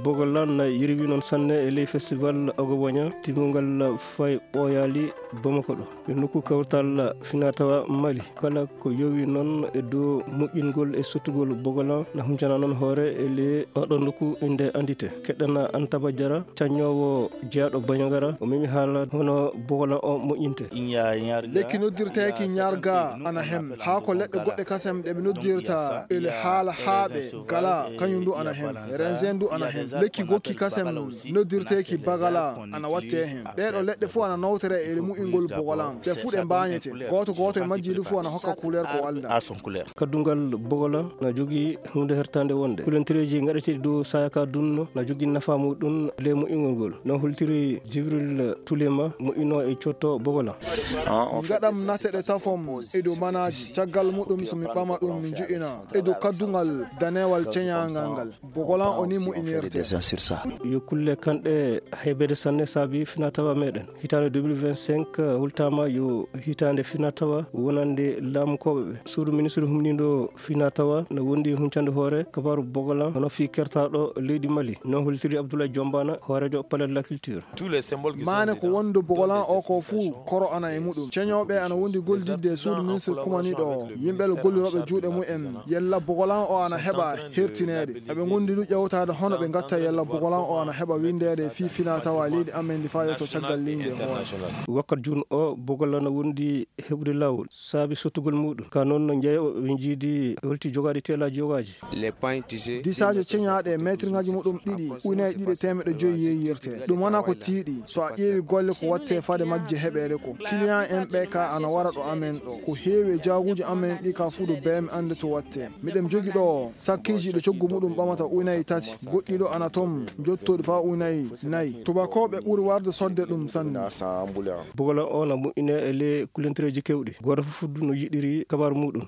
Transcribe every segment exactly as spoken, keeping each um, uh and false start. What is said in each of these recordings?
Bogolan na yirwi noon sanne e ley festival Ogoboña timmungal fay ɓooyaali Bamako ɗo. Yo nokku kawtal finatawa Mali kala ko yowi noon e dow moƴƴingol e sottugol Bogolan na huncana noon hoore e ley oɗo nokku inde andite. Keɗɗana Antaba Jara, caññoowo jeyaaɗo Bañagara, o memi haala hono Bogolan o moƴƴinte. Lekki noddirteeki ñarga ana hen. Haa ko leɗɗe goɗɗe kasem ɗe ɓe noddirta ele haala haaɓe gala, kañum ndu ana hen. Renzen ndu ana hen. Lekki gokki kasem noddirteeki bagala ana watte hen. Ɗee ɗo leɗɗe fof ana nawtore e mu'ingol Bogolan. Ɗe fof ɗe mbaañete. Gooto gooto e majji ɗi fof ana hokka couleur ko walda. Kaddungal Bogolan na jogii huunde hertande wonde. Kulantireeji ngaɗeteeɗi dow saaya ka dunno na jogii nafa muɗum le moƴƴingol ngol. No holtiri Jibril Tulema, moƴƴino e cotto Bogolan. Ngaɗam nate ɗe tafom e dow manaaji. Caggal muɗum so mi ɓama ɗum mi ju'ina e dow kaddungal danewal ceñaangal ngal. Bogolan o ni moƴƴinirte. Yo kulle kanɗe heɓeede sanne saabi finatawa meɗen. Hitaande deux mille vingt-cinq hultaama yo hitaande finatawa wonande laamukooɓe ɓe. Suudu ministre humniiɗo finatawa na wondi huncande hoore kabaaru Bogolan hono fii kertaaɗo leydi Mali. No holtiri Abdoulaye Jombana, hooreejo Palais de la Culture. Maane ko wondu Bogolan o ko fuu koro ana e muɗum. Ceñooɓe ana wondi gollidde e suudu ministre kumaniiɗo o. Yimɓe le gollirooɓe juuɗe mumen. Yella Bogolan o ana heɓa hertineede. Eɓe ngondi du ƴewtaade hono ɓe ngatta yella Bogolan o ana heɓa windeede fii finatawa leydi amen ndi faa yotto caggal leydi e hoore. Wakkat jun o Bogolan na wondi heɓude laawol saabi sottugol muɗum. Ka noon no njeeyooɓe ɓe njiidi holti jogaaɗi teelaaji yogaaji. Disaaje ceñaaɗe meetirŋaaji muɗum ɗiɗi, ujunaaji ɗiɗi e teemeɗɗe joyi yeeyirte. Ɗum wonaa ko tiiɗi, so a ƴeewi golle ko watte fade majje heɓeede ko. Client en ɓe ka ana wara ɗo amen ɗo. Ko heewi e jaaguuji amen ɗi ka fuu do beemi annde to watte. Miɗen jogi ɗo sakkiiji ɗo coggu muɗum ɓamata ujunaaji tati. Goɗɗi ɗo ana toon, jottooɗi faa ujunaaji nayi. Tubakooɓe ɓuri warde sodde ɗum sanne. Bogolan o na moƴƴine e le kulantireeji kewɗi. Gooto fof fuddu no yiɗiri kabaaru muɗum.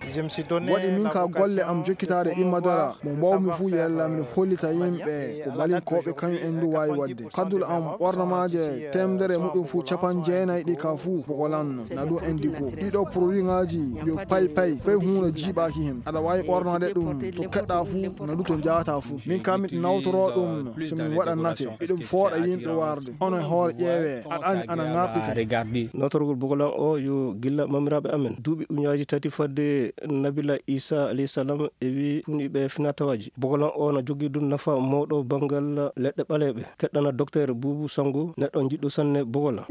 Waɗi min ka golle am jokkitaade imma dara mo mbaawmi fuu yalla miɗo hollita yimɓe ko balinkooɓe kañum en ndu waawi waɗde. Kaddule am ɓornamaaje teemedere muɗum fuu capanɗe jeenayi ɗi ka fuu Bogolan na ɗum indigo. Ɗiɗo produitŋaaji yo pay pay fay huunde jiiɓaaki hen. Aɗa waawi ɓornaade ɗum to keɗɗa fuu na ɗum to njaata fuu. Min ka miɗo nawtoroo ɗum so min waɗa nate. Eɗum fooɗa yimɓe warde. Ono e hoore ƴeewee aɗa anndi ana ŋarɗi. Nawtorgol Bogolan o yo gilla mamiraaɓe amen. Duuɓi ujunaaji tati fadde Nabila Isa alayhi salam e wi funiɓe finatawaaji. Bogolan o na jogii ɗum nafa mawɗo banngal leɗɗe ɓaleeɓe. Keɗɗana Docteur Buubu Sango, neɗɗo jiɗɗo sanne Bogolan.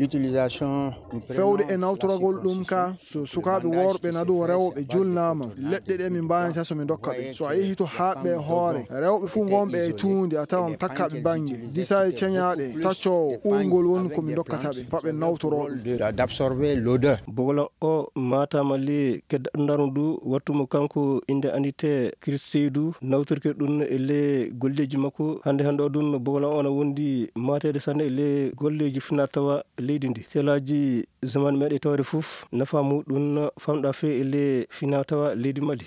Fewde e nawtoragol ɗum ka, so sukaaɓe worɓe na ɗum rewɓe julnaama, leɗɗe ɗe min mbaawata so min ndokka ɓe. So a yehi to haaɓɓe e hoore, rewɓe fuu ngonɓe e tuundi a tawan takkaaɓe bannge, disa e ceñaaɗe, taccoowo, uurngol woni ko min ndokkata ɓe, fa ɓe nawtoroo ɗum. D'absorber l'odeur. Bogolan o maataama le kedda ɗum ndu wattu mo kanko innde andite Chris Seydou nawtirke ɗum e le golleeji makko. Hannde hannde o ɗum Bogolan o na wondi maateede sanne e le golleeji finatawa leydi ndi. Selaaji zaman meɗe tawde fof nafa muɗum famɗa fe e le finatawa leydi Mali.